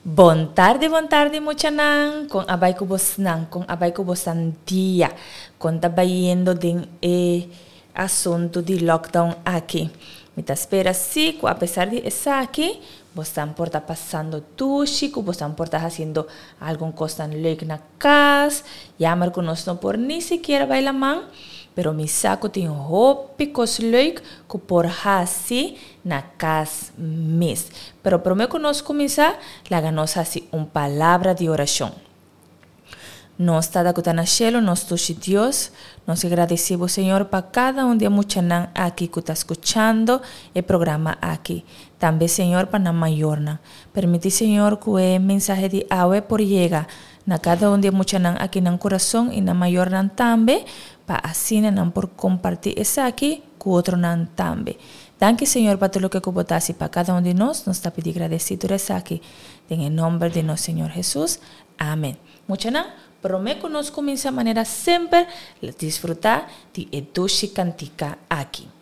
Bon tardi, bon tardi muchanan. Kon a bai ku bosnan? Kon a bai ku bosan dia? Kon ta bayendo den e asuntu di lockdown aki? Mi ta spera si ku apesar di esaki bosnan por ta pasando dushi, ku bosnan por ta hasiendo algun kosnan leuk na kas. Jammer ku nos no por ni sikiera bai laman, pero mi sa ku tin hopi kos leuk ku por hasi na kas mes. Pero prome ku nos kuminsá, laga nos hasi un palabra di orashon. Nos Tata ku ta na shelu, nos dushi Dios, nos ke gradisí bo Señor pa kada un di e muchanan aki ku ta skuchando e programa aki. Tambe Señor pa nan mayornan. Permití Señor ku e mensahe di awe por yega na kada un di e muchanan aki nan kurason i nan mayornan tambe pa asina nan por kompartí esaki ku otronan tambe. Danki Señor pa tur loke ku bo ta hasi pa kada un di nos, nos ta pidi gradesí tur esaki den e nomber di nos Señor Hesus. Amen. Muchanan, prome ku nos kuminsá manera semper, disfrutá di e dushi kantika aki.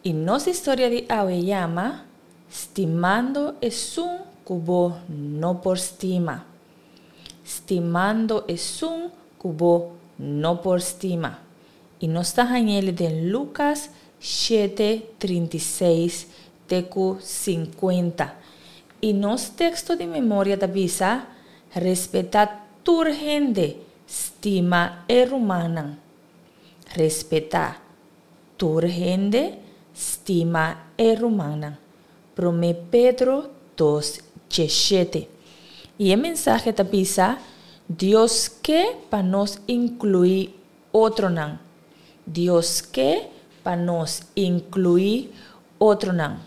I nos historia di awe yama Stimando esun ku bo no por stima. Stimando esun ku bo no por stima. I nos ta hañ'el den Lukas shete 36 te ku 50. I nos teksto di memoria ta bisa, Respetá tur hende, stima e rumannan. Respetá tur hende, stima e rumannan. Promé Pedro dos djeshete. I e mensahe ta bisa, Dios ke pa nos inkluí otronan. Dios ke pa nos inkluí otronan.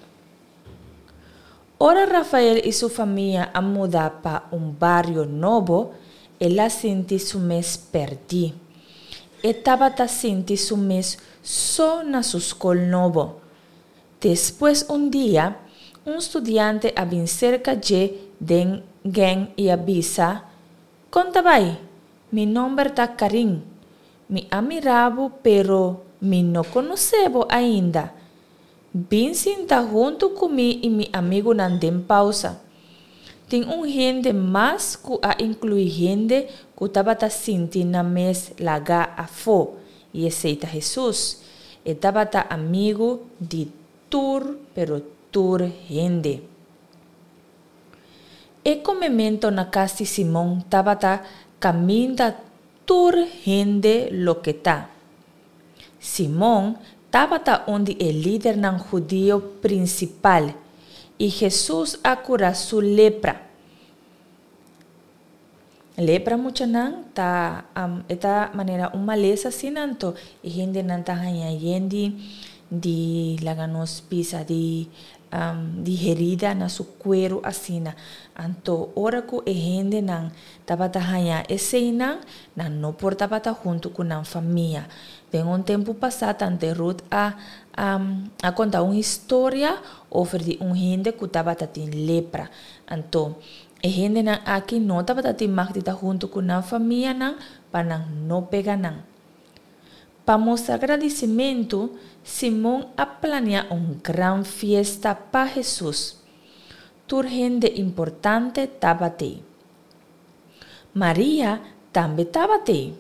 Ora Rafael i su famia a muda pa un bario nobo, el a sinti su mes pèrdí. E tabata sinti su mes so na su skol nobo. Despues un dia, Un studiante a bin serka dje den gèng i a bisa, Kon ta bai? Mi nòmber ta Karin. Mi a mira bo pero mi no konosé bo ainda. Bin sinta huntu ku mi i mi amigunan den pausa. Tin un hende mas ku a inkluí hende ku tabata sinti nan mes lagá afó, i esei ta Hesus. E tabata amigu di tur pero tur hende. E komemento na kas di Simon tabata kaminda tur hende loke ta. Simon tabata un di e lidernan hudio prinsipal, i Hesus a kura su lepra. Lepra muchanan ta e ta manera un malesa asina anto e hendenan ta haña yen di di laga nos bisa di di herida na su kueru asina. Anto ora ku e hendenan tabata haña eseinan, nan no por tabata huntu ku nan famia. Den un tempu pasá tante Ruth a a konta un historia over di un hende ku tabata tin lepra. Anto E hendenan aki no tabata tin mag di ta huntu ku nan famianan pa nan no pega nan. Pa mustra gradisimentu, Simon a plania un gran fiesta pa Hesus. Tur hende importante tabat'ei. Maria tambe tabat'ei.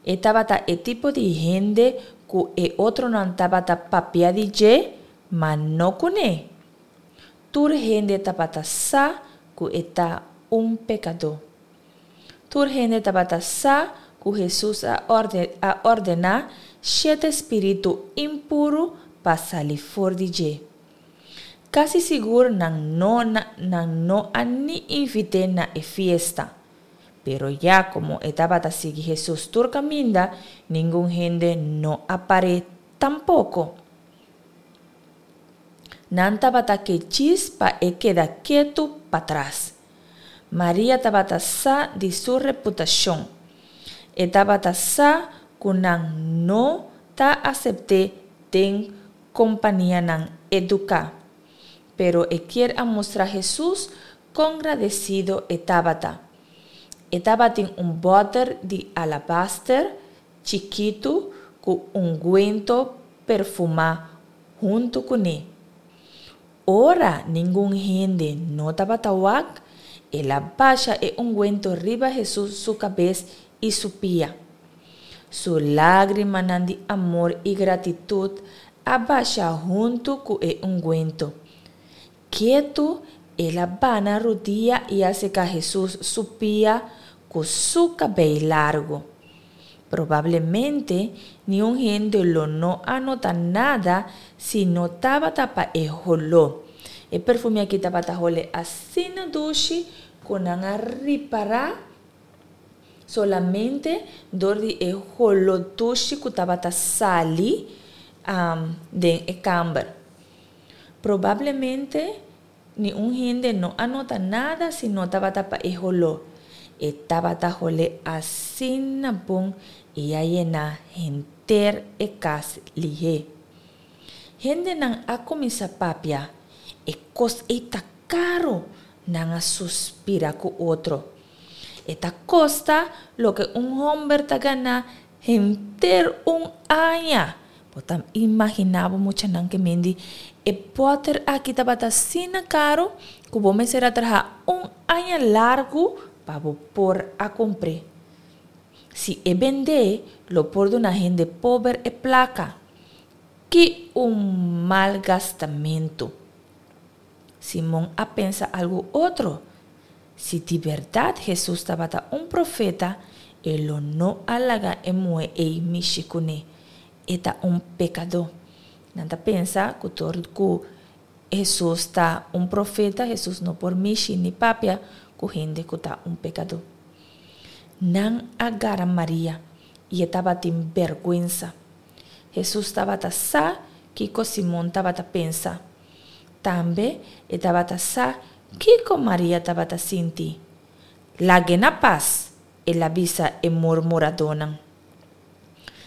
E tabata e tipo di hende ku e otronan tabata papia di dje, ma no kuné. Tur hende tabata sa ku e ta un pekadó. Tur hende tabata sa ku Hesus a a ordená shete spiritu impuru pa sali for di dje. Kasi sigur nan no nan no a ni invit'é na e fiesta. Pero ya komo e tabata sigui Hesus tur kaminda, ningun hende no a par'é tampoko. Nan tabata ke djis pa e keda ketu patras. Maria tabata sa di su reputashon. E tabata sa ku nan no ta asept'é den kompanianan eduká. Pero e kier a mustra Hesus kon gradesido e tabata. E tabatin un bòter di alabaster chikitu ku ungwento perfumá huntu kuné. Ora ningun hende no tabata wak, el a basha e ungwento riba Hesus su kabes i su pia. Su lágrimanan di amor i gratitut a basha huntu ku e ungwento. Ketu el a bana rudia i a seka Hesus su pia ku su kabei largu. Probablemente niun hende lo no a nota nada si no tabata pa e holó. E perfume aki tabata hole asina dushi ku nan a ripará solamente dor di e holó dushi ku tabata sali den e kamber. Probablemente ni un hende no a nota nada si no tabata pa e holó. E tabata holé asina bon i a yená henter e kas lihé. Hendenan a kuminsá papia, E kos ei ta karu! Nan a suspirá ku otro. E ta kosta loke un hòmber ta gana henter un aña! Bo ta imaginá bo muchanan ke mindi e bòter aki tabata asina karu ku bo mester a traha un aña largu pa bo por a kumpr'é. Si e bend'é, lo por duna hende pober e plaka. Ki un mal gastamentu! Simon a pensa algu otro. Si di bèrdat Hesus tabata un profeta, e lo no a laga e muhé ei mishi kuné. E ta un pekadó. Nan ta pensa ku dor ku Hesus ta un profeta, Hesus no por mishi ni papia ku hende ku ta un pekadó. Nan a gara Maria, i e tabatin bèrgwensa. Hesus tabata sa kiko Simon tabata pensa. Tambe e tabata sa kiko Maria tabata sinti. Lag'é na pas, el a bisa e murmuradónan.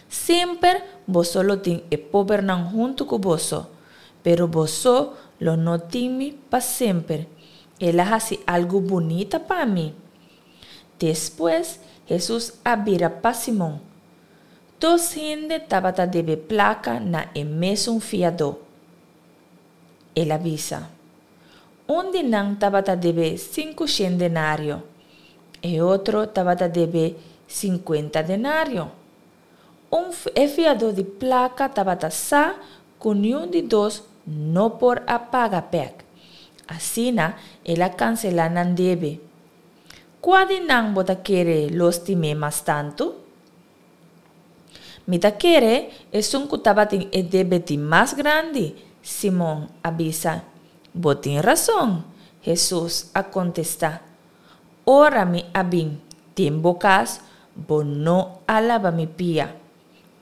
Semper boso lo tin e pobernan huntu ku boso, pero boso lo no tin mi pa semper. El a hasi algu bunita pa mi. Despues, Hesus a bira pa Simon. Dos hende tabata debe plaka na e mesun fiadó. El a bisa. Un di nan tabata debe sinkushen denario, e otro tabata debe sinkuenta denario. Un e fiadó di plaka tabata sa ku niun di dos no por a paga bèk. Asina el a kanselá nan debe. Kua di nan bo ta kere lo stim'é mas tantu? Mi ta kere esun ku tabatin e debe di mas grandi, Simon a bisa. Bo tin rason, Hesus a kontestá. Ora mi a bin den bo kas, bo no a laba mi pia.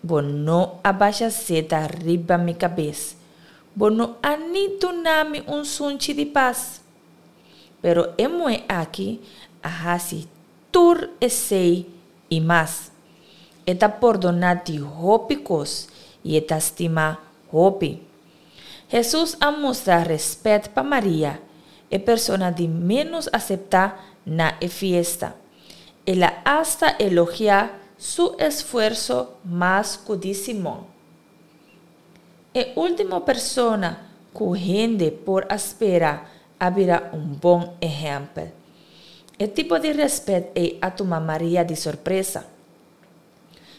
Bo no a basha seta riba mi kabes. Bo no a ni duna mi un sunchi di pas. Pero e muhé aki a hasi tur esei i mas. E ta pordoná di hopi kos i e ta stima hopi. Hesus a mustra rèspèt pa Maria, e persona di ménos aseptá na e fiesta. El a asta elogiá su esfuerso mas ku di Simon. E último persona ku hende por a spera a bira un bon ehèmpel. E tipo di rèspèt ei a tuma Maria di sorpresa.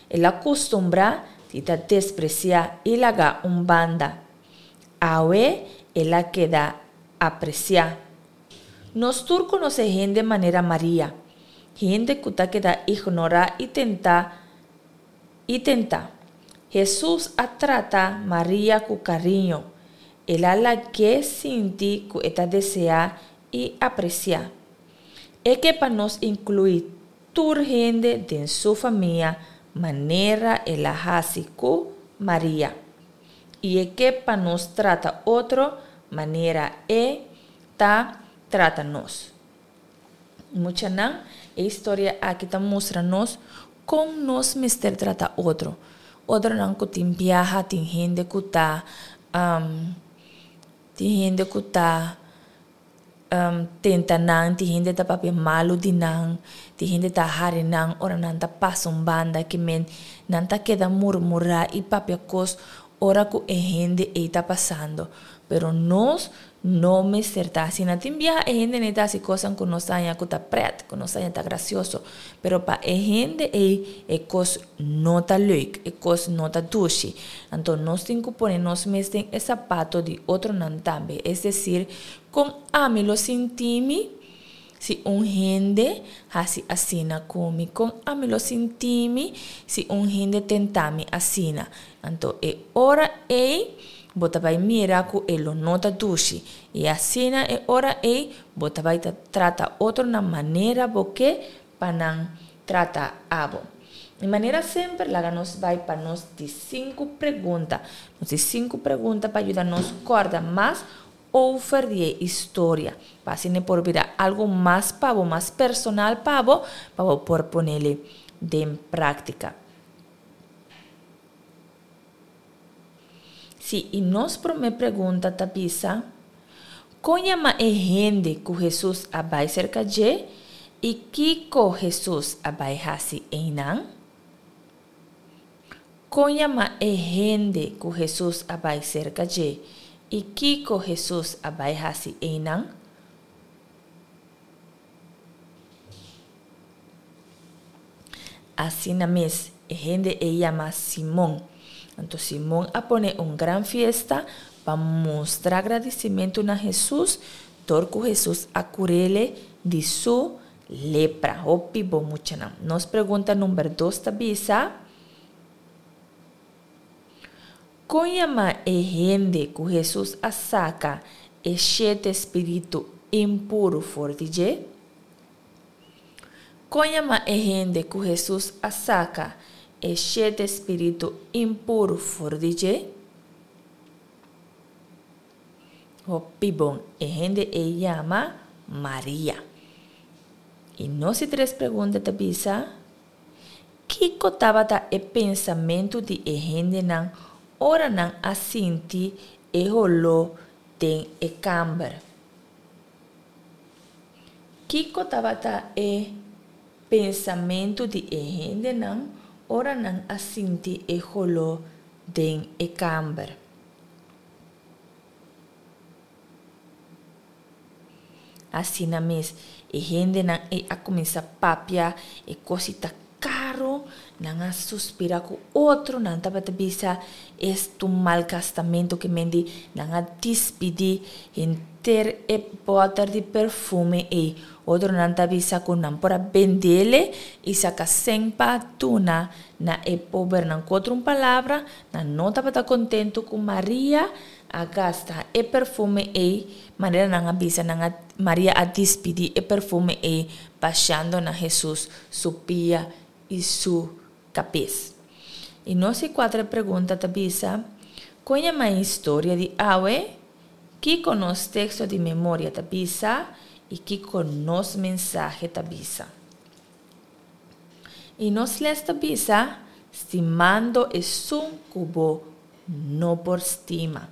El a kustumbrá di ta despresiá i lagá un banda. Awe el a keda apresiá. Nos tur konosé hende manera Maria, hende ku ta keda ignorá i tentá i tentá. Hesus a trata Maria ku kariño. El a lag'é sinti ku e ta deseá i apresiá. E ke pa nos inkluí tur hende den su famia manera el a hasi ku Maria. I e ke pa nos trata otro manera e ta trata nos. Muchanan, e historia aki ta mustra nos kon nos mester trata otro. Otronan ku tin biaha, tin hende ku ta tin hende ku ta tenta nan, tin hende ta papia malu di nan, tin hende ta hari nan ora nan ta pasa un banda ki men nan ta keda murmurá i papia kos ora ku e hende ei ta pasando. Pero nos no mester ta asina. Tin biaha e hende nei ta hasi kosnan ku nos ta haña ku ta prèt, ku nos ta haña ta grasioso, pero pa e hende ei e kos no ta leuk, e kos no ta dushi. Anto nos tin ku pone nos mes den e sapato di otronan tambe. Es desir, kon ami lo sinti mi si un hende hasi asina ku mi? Kon ami lo sinti mi si un hende tenta mi asina? Anto e ora ei bo ta bai mira ku e lo no ta dushi. I asina e ora ei bo ta bai ta trata otronan manera bo ke pa nan trata abo. Di manera semper laga nos bai pa nos di sinku pregunta. Nos di sinku pregunta pa yuda nos kòrda mas over di e historia. Pa asina e por bira algu mas pa bo, mas personal pa bo, pa bo por ponele den práktika. Sí, i nos promé pregunta ta bisa, Kon yama e hende ku Hesus a bai serka dje, i kiko Hesus a bai hasi einan? Kon yama e hende ku Hesus a bai serka dje, i kiko Hesus a bai hasi einan? Asina mes, e hende ei yama Simon. Anto Simon a pone un gran fiesta pa mustra gradisimentu na Hesus dor ku Hesus a kur'ele di su lepra. Hopi bon muchanan. Nos pregunta number dos ta bisa, Kon yama e hende ku Hesus a saka e shete spiritu impuru for di dje? Kon yama e hende ku Hesus a saka e shete spiritu impuru for di dje? Hopi bon, e hende ei yama Maria. I nos di tres pregunta ta bisa, Kiko tabata e pensamentu di e hendenan ora nan a sinti e holó? den e kamber. Kiko tabata e pensamentu di e hendenan ora nan a sinti e holó den e kamber? Asina mes, e hendenan ei a kuminsá papia e kos i ta karu, nan a suspirá ku otro, nan tabata bisa, Es ta un malgastamentu ke men di, nan a dispidí henter e bòter di perfume ei. Otronan ta bisa ku nan por a bendele i saka sèn pa duna na e pobernan. Ku otro un palabra, nan no tabata kontentu ku Maria a gasta e perfume ei, manera nan a bisa, nan a, Maria a dispidí e perfume ei bashando na Hesus su pia i su kabes. I nos di kuater pregunta ta bisa, Kon yama e historia di awe? Kiko nos teksto di memoria ta bisa? I kiko nos mensahe ta bisa? I nos les ta bisa, Stimando esun ku bo no por stima.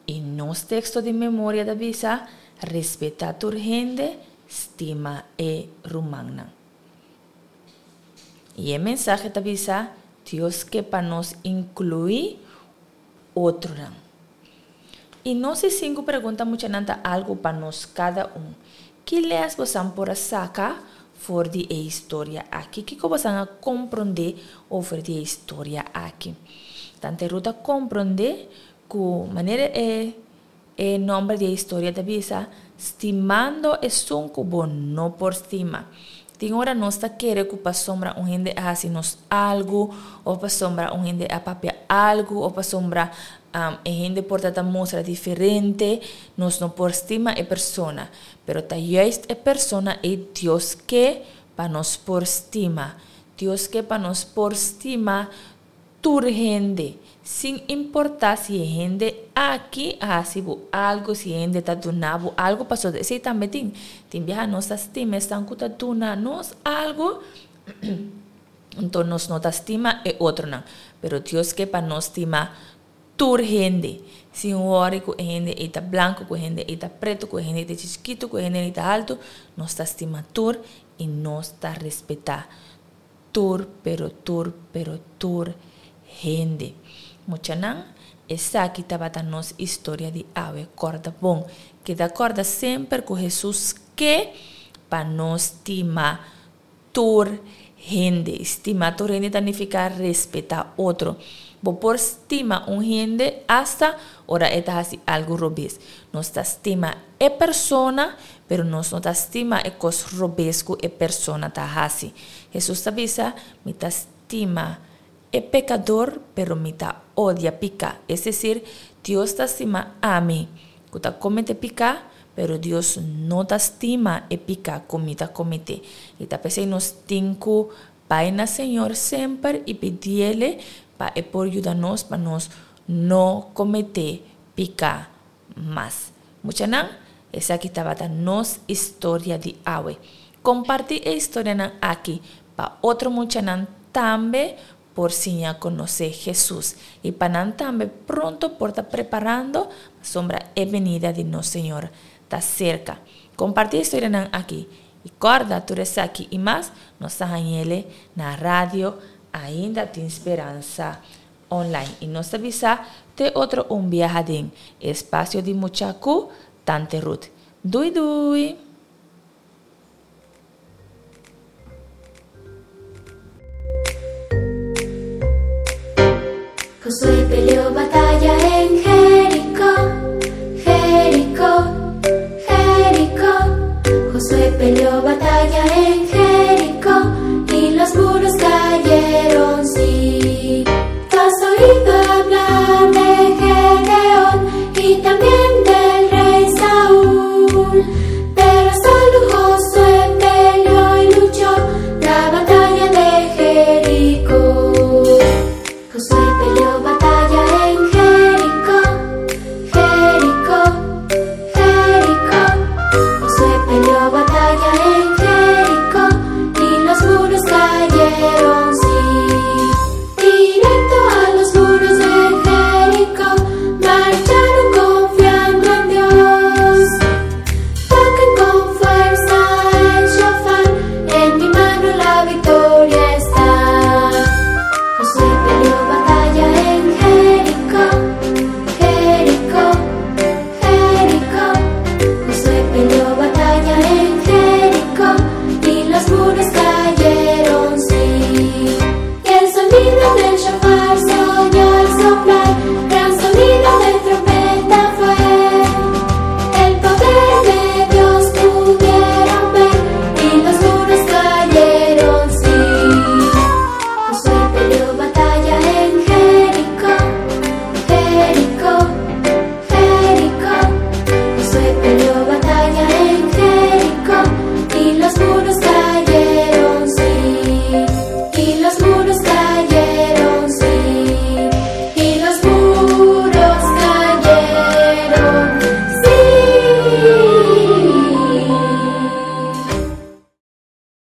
I nos teksto di memoria ta bisa, Respetá tur hende, stima e rumannan. I e mensahe ta bisa, Dios ke pa nos inkluí otronan. I nos di sinku pregunta muchanan ta algu pa nos kada un. Ki lès bosan por a saka for di e historia aki? Kiko bosan a komprondé over di e historia aki? Tante Ruth a komprondé ku manera e e nòmber di e historia ta bisa, Stimando esun ku bo no por stima. Tin ora nos ta kere ku pasobra un hende a hasi nos algu, òf pasobra un hende a papia algu, òf pasobra e hende por ta ta mustra diferente, nos no por stima e persona. Pero ta juist e persona ei Dios ke pa nos por stima. Dios ke pa nos por stima tur hende, sin importá si e hende aki a hasi bo algu, si e hende ta duna bo algu, pasobra esei tambe tin. Tin biaha nos ta stima esnan ku ta duna nos algu, anto nos no ta stima e otronan. Pero Dios ke pa nos stima tur hende, sin wòri ku e hende ei ta blanku, ku e hende ei ta pretu, ku e hende ei ta chikitu, ku e hende ei ta haltu, nos ta stima tur i nos ta respetá tur pero tur pero tur hende. Muchanan, esaki tabata nos historia di awe. Kòrda bon, keda kòrda semper ku Hesus ke pa nos stima tur hende. Stima tur hende ta nifiká respetá otro. Bo por stima un hende asta ora e ta hasi algu robes. Nos ta stima e persona, pero nos no ta stima e kos robes ku e persona ta hasi. Hesus ta bisa, Mi ta stima e pekador, pero mi ta odia piká. Es desir, Dios ta stima ami ku ta kometé piká, pero Dios no ta stima e piká ku mi ta kometé. I ta p'esei nos tin ku bai na Señor semper i pidiele pa e por yuda nos pa nos no kometé piká mas. Muchanan, esaki tabata nos historia di awe. Kompartí e historianan aki pa otro muchanan tambe por siña konosé Hesus i pa nan tambe pronto por ta preparando pasobra e benida di nos Señor ta serka. Kompartí e historianan aki i kòrda tur esaki i mas nos ta hañ'ele na Radio Ainda Tin Speransa online y nos ta bisa te otro un biaha den Espacio di Mucha cu Tante Ruth. Dui dui! Josué peleó batalla en Jericó, Jericó, Jericó. Josué peleó batalla en.